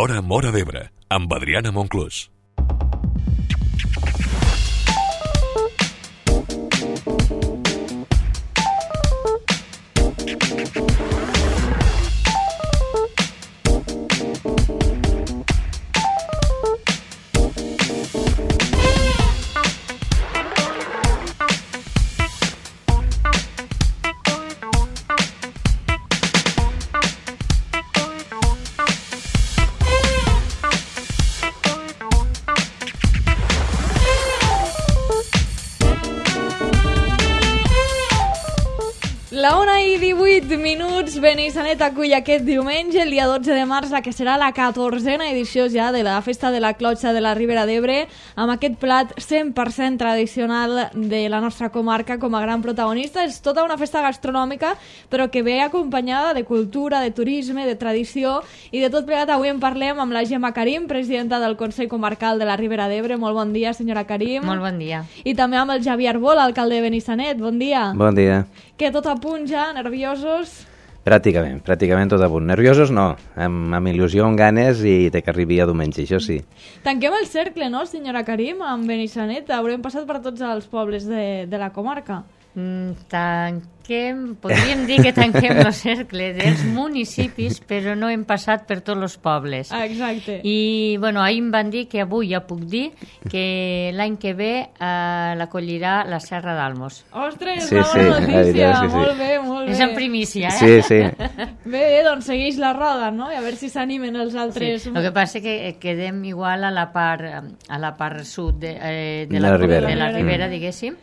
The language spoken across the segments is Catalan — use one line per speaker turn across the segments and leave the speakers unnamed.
L'Hora Móra d'Ebre, amb Adriana Monclús.
La 1:18, Benissanet acull aquest diumenge, el dia 12 de març, la que serà la 14a edició ja de la Festa de la Clotxa de la Ribera d'Ebre, amb aquest plat 100% tradicional de la nostra comarca com a gran protagonista. És tota una festa gastronòmica, però que ve acompanyada de cultura, de turisme, de tradició, i de tot plegat avui en parlem amb la Gemma Karim, presidenta del Consell Comarcal de la Ribera d'Ebre. Molt bon dia, senyora Karim.
Molt bon dia.
I també amb el Javier Arbol, alcalde de Benissanet. Bon dia.
Bon dia.
Que tot a punt ja, nerviosos?
Pràcticament tot a punt. Nerviosos no, amb il·lusió, amb ganes i que arribi a diumenge, això sí.
Tanquem el cercle, no, senyora Karim, amb Benissanet? Haurem passat per tots els pobles de la comarca.
Podríem dir que tanquem el cercle dels municipis, però no hem passat per tots els pobles.
Exacte.
I ahir em van dir que avui ja puc dir que l'any que ve l'acollirà la Serra d'Almos.
Ostres,
sí,
bona notícia,
sí.
Molt bé, molt bé.
És en primícia, eh?
Sí.
Bé, doncs segueix la roda, no? I a veure si s'animen els altres.
Sí. El que passa és que quedem igual a la part sud de la Ribera, diguéssim,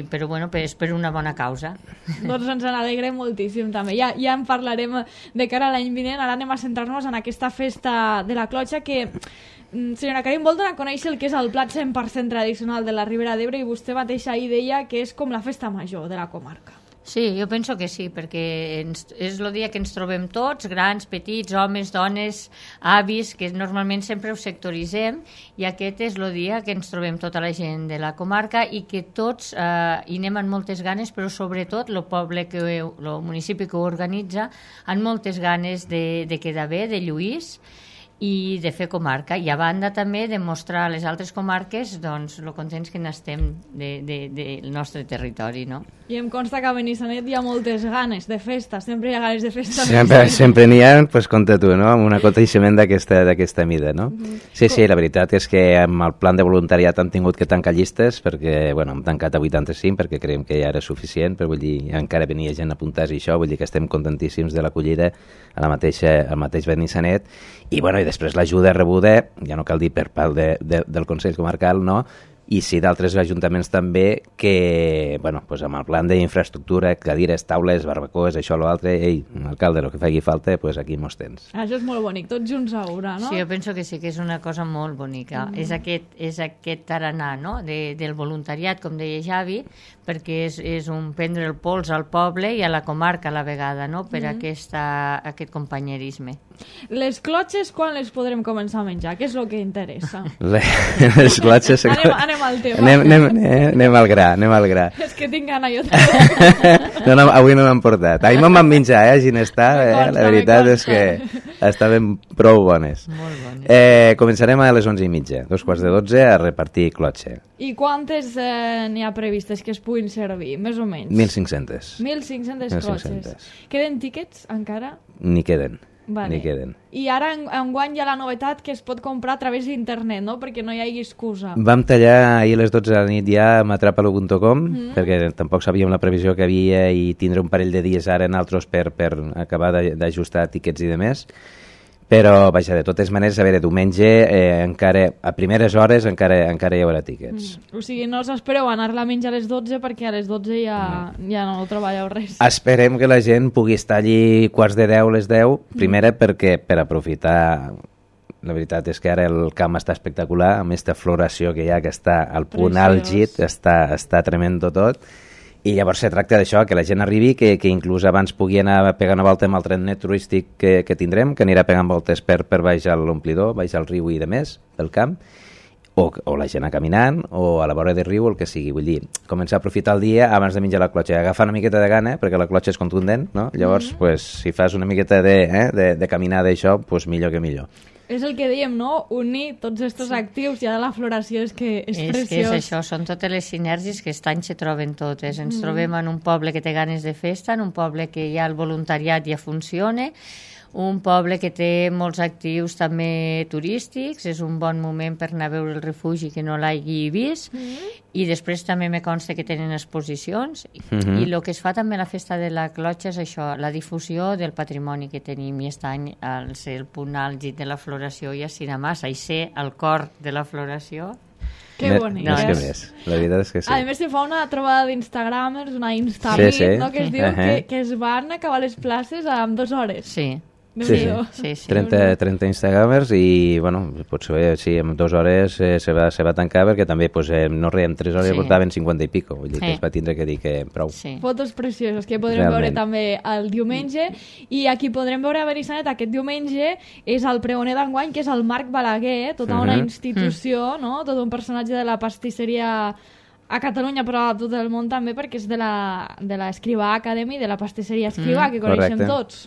però és per una bona causa.
Doncs ens n'alegrem moltíssim també. Ja en parlarem de cara a l'any vinent. Ara anem a centrar-nos en aquesta festa de la Clotxa que, senyora Karim, vol donar a conèixer el que és el plat 100% tradicional de la Ribera d'Ebre, i vostè mateixa ahir deia que és com la festa major de la comarca.
Sí, jo penso que sí, perquè és el dia que ens trobem tots, grans, petits, homes, dones, avis, que normalment sempre ho sectoritzem, i aquest és el dia que ens trobem tota la gent de la comarca i que tots hi anem amb moltes ganes, però sobretot el municipi que ho organitza, amb moltes ganes de quedar bé, de lluís, i de fer comarca, i a banda també de mostrar a les altres comarques doncs lo contents que n'estem del nostre territori, no?
I em consta que a Benissanet hi ha moltes ganes de festa, sempre hi ha ganes de festa.
Sempre n'hi ha, doncs compta tu, no? Amb un aconteixement d'aquesta mida, no? Sí, la veritat és que amb el plan de voluntariat hem tingut que tancar llistes, perquè, hem tancat a 85, perquè creiem que ja era suficient, però vull dir, encara venia gent a apuntar-se i això, vull dir que estem contentíssims de l'acollida al mateix Benissanet, i després l'ajuda rebuda, ja no cal dir per part del Consell Comarcal, no? I sí d'altres ajuntaments també que, amb el plan d'infraestructura, cadires, taules, barbacoes, això o l'altre, alcalde, el que faci falta, aquí mos tens.
Això és molt bonic, tots junts a una, no?
Sí, jo penso que sí que és una cosa molt bonica. És aquest tarannà, no?, del voluntariat, com deia Javi, perquè és un prendre el pols al poble i a la comarca a la vegada, no?, per aquest companyerisme.
Les clotxes, quan les podrem començar a menjar? Què és el que interessa?
Les clotxes...
Anem al tema.
Anem al gra.
És que tinc gana jo també.
No, avui no m'han portat. Ahir me'n van menjar, a Ginestar, la veritat és que estaven prou bones.
Molt bones.
Començarem a les 11:30, 11:45, a repartir clotxe.
I quantes n'hi ha previstes que es puguin servir, més o menys?
1.500.
1.500 clotxes. Queden tíquets encara?
Ni queden.
Vale. I ara enguany hi ha la novetat que es pot comprar a través d'internet, no? Perquè no hi hagi excusa.
Vam tallar ahir a les 12 de la nit ja a matrapalo.com, perquè tampoc sabíem la previsió que havia i tindre un parell de dies ara en altres per acabar d'ajustar tiquets i demés. Però, vaja, de totes maneres, a veure, diumenge encara, a primeres hores encara hi haurà tíquets.
O sigui, no us espereu anar-la a menjar a les 12 perquè a les 12 ja no treballeu res.
Esperem que la gent pugui estar allí 11:45, les 10, primera perquè per aprofitar... La veritat és que ara el camp està espectacular, amb aquesta floració que hi ha, que està al punt àlgid, està tremendo tot. I llavors se tracta d'això, que la gent arribi, que inclús abans pugui anar a pegar una volta amb el trenet turístic que tindrem, que anirà pegant voltes per baix a l'omplidor, baix al riu i de més, pel camp, o la gent a caminant, o a la vora del riu, el que sigui. Vull dir, començar a aprofitar el dia abans de menjar la clotxa, agafar una miqueta de gana, perquè la clotxa és contundent, no? Llavors, pues, si fas una miqueta de caminada i això, pues, millor que millor.
És el que diem, no? Unir tots aquests actius ja de la floració és que és preciós.
És que és això, són totes les sinergies que aquest any se troben totes. Ens trobem en un poble que té ganes de festa, en un poble que ja el voluntariat ja funciona, un poble que té molts actius també turístics, és un bon moment per anar a veure el refugi que no l'hagi vist, i després també me consta que tenen exposicions, i el que es fa també a la festa de la clotxa és això, la difusió del patrimoni que tenim, i aquest any, al ser el punt àlgid de la floració i a Sinamassa, i ser el cor de la floració.
Que bonic.
No és que més, la veritat és que sí.
A més, se fa una trobada d'Instagramers, una Instamit, no? Que es diu que es van acabar les places en 2 hores.
Sí.
Sí. 30 Instagramers i, bueno, potser sí, en 2 hores se va tancar perquè també pues, no en 3 hores portaven 50 i pico, vull dir que es va tindre que dir que prou.
Fotos precioses que podrem veure també el diumenge, i aquí podrem veure a Benissanet aquest diumenge és el pregoner d'enguany, que és el Marc Balaguer, tota una institució, no? Tot un personatge de la pastisseria a Catalunya, però a tot el món també, perquè és de l'Escrivà Academy, de la pastisseria Escrivà, que coneixem tots.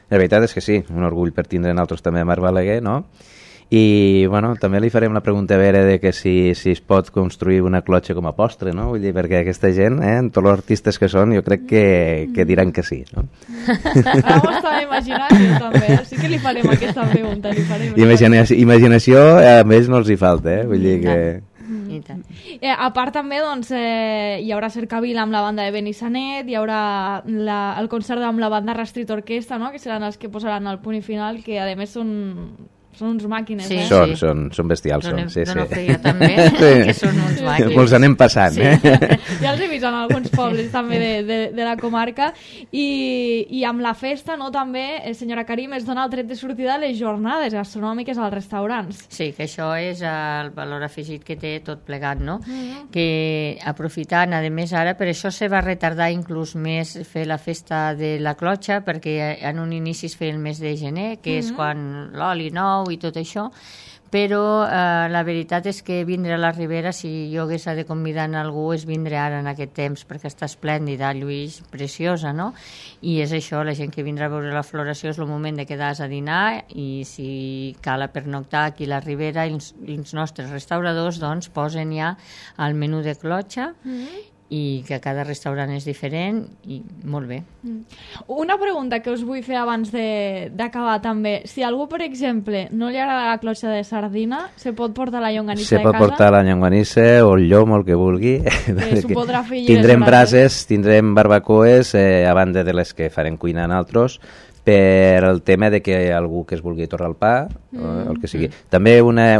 La veritat és que sí, un orgull per tindre nosaltres també a Marc Balaguer, no? I, bueno, també li farem la pregunta a veure de que si es pot construir una clotxa com a postre, no? Vull dir, perquè aquesta gent, tots els artistes que són, jo crec que diran que sí, no?
Ara m'ho estava imaginant, jo també, sí que li farem aquesta pregunta,
Imaginació a més no els hi falta, vull dir que...
A part també doncs, hi haurà cercavila amb la banda de Benissanet, hi haurà el concert amb la banda Rastrit Orquestra, no? Que seran els que posaran el punt i final, que a més són uns màquines.
Són bestials.
D'Onofria també, que són uns màquines.
Ens anem passant.
Ja els he vist en alguns pobles també de la comarca, i amb la festa, no, també, senyora Karim, es dona el tret de sortida a les jornades gastronòmiques als restaurants.
Sí, que això és el valor afegit que té tot plegat, no? Que aprofitant, a més ara, per això se va retardar inclús més fer la festa de la clotxa, perquè en un inici es feia el mes de gener, que és quan l'oli nou i tot això, però la veritat és que vindre a la Ribera, si jo hagués de convidar a algú, és vindre ara en aquest temps, perquè està esplèndida, Lluís, preciosa, no? I és això, la gent que vindrà a veure la floració és el moment de quedar-se a dinar, i si cal a pernoctar aquí a la Ribera, i els nostres restauradors doncs posen ja el menú de clotxa, i que cada restaurant és diferent, i molt bé.
Una pregunta que us vull fer abans d'acabar també. Si algú, per exemple, no li agrada la clotxa de sardina, se pot portar la llonganissa de casa?
Se pot portar la llonganissa o el llom o el que vulgui.
S'ho podrà fer
tindrem brases, tindrem barbacoes, a banda de les que farem cuinar nosaltres, per el tema de que algú que es vulgui torrar el pa, el que sigui. També una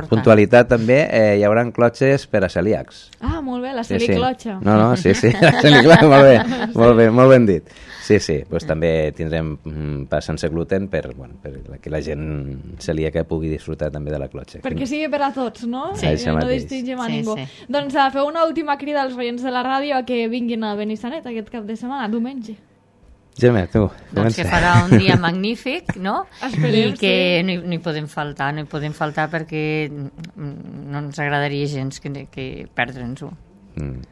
puntualitat també, hi haurà clotxes per a celíacs.
Ah, molt bé, la celiclotxa.
No, sí, la celiclotxa, molt ben dit. Sí, doncs també tindrem pa sense gluten per que la gent celíaca pugui disfrutar també de la clotxa.
Perquè sigui per a tots, no?
Sí,
no distingim a ningú. Doncs feu una última crida als oients de la ràdio a que vinguin a Benissanet aquest cap de setmana, diumenge.
Gemma, tu, comença.
Doncs que farà un dia magnífic, no?
Esperem,
i que no hi podem faltar perquè no ens agradaria gens que perdre'ns-ho.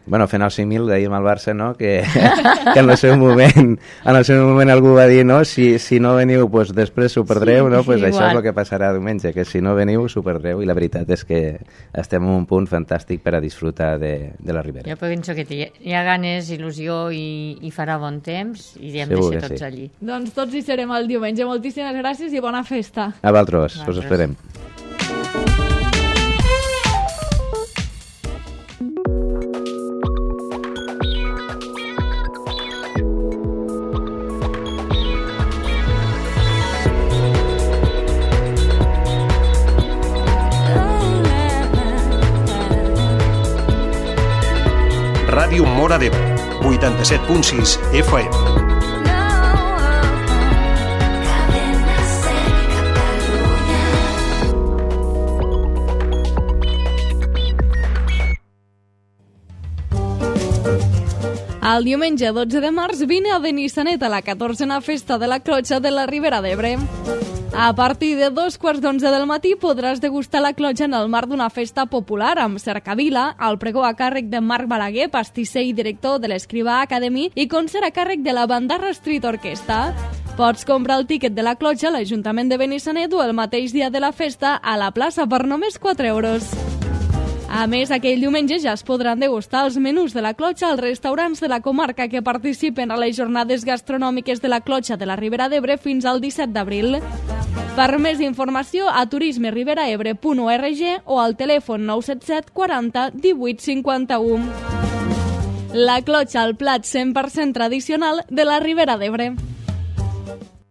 Bueno, fent el 5.000 d'ahir amb el Barça, no? que en el seu moment algú va dir, no? Si no veniu, pues, després s'ho perdreu, no? Pues això és el que passarà diumenge, que si no veniu s'ho perdreu, i la veritat és que estem en un punt fantàstic per a disfrutar de la Ribera.
Jo penso que hi ha ganes, il·lusió i farà bon temps, i hem de ser tots allí.
Doncs tots hi serem el diumenge. Moltíssimes gràcies i bona festa.
A vosaltres, us esperem.
Ràdio Móra d'Ebre, 87.6 FM.
El diumenge 12 de març vine a Benissanet a la 14a Festa de la Clotxa de la Ribera d'Ebre. A partir de 2:15 del matí podràs degustar la clotxa en el marc d'una festa popular amb cercavila, el pregó a càrrec de Marc Balaguer, pastisser i director de l'Escrivà Academy, i concert a càrrec de la Bandarra Street Orquestra. Pots comprar el tíquet de la clotxa a l'Ajuntament de Benissanet o el mateix dia de la festa a la plaça per només 4 euros. A més, aquell diumenge ja es podran degustar els menús de la clotxa als restaurants de la comarca que participen a les jornades gastronòmiques de la clotxa de la Ribera d'Ebre fins al 17 d'abril. Per més informació a turismeriberaebre.org o al telèfon 977 40 18 51. La clotxa, el plat 100% tradicional de la Ribera d'Ebre.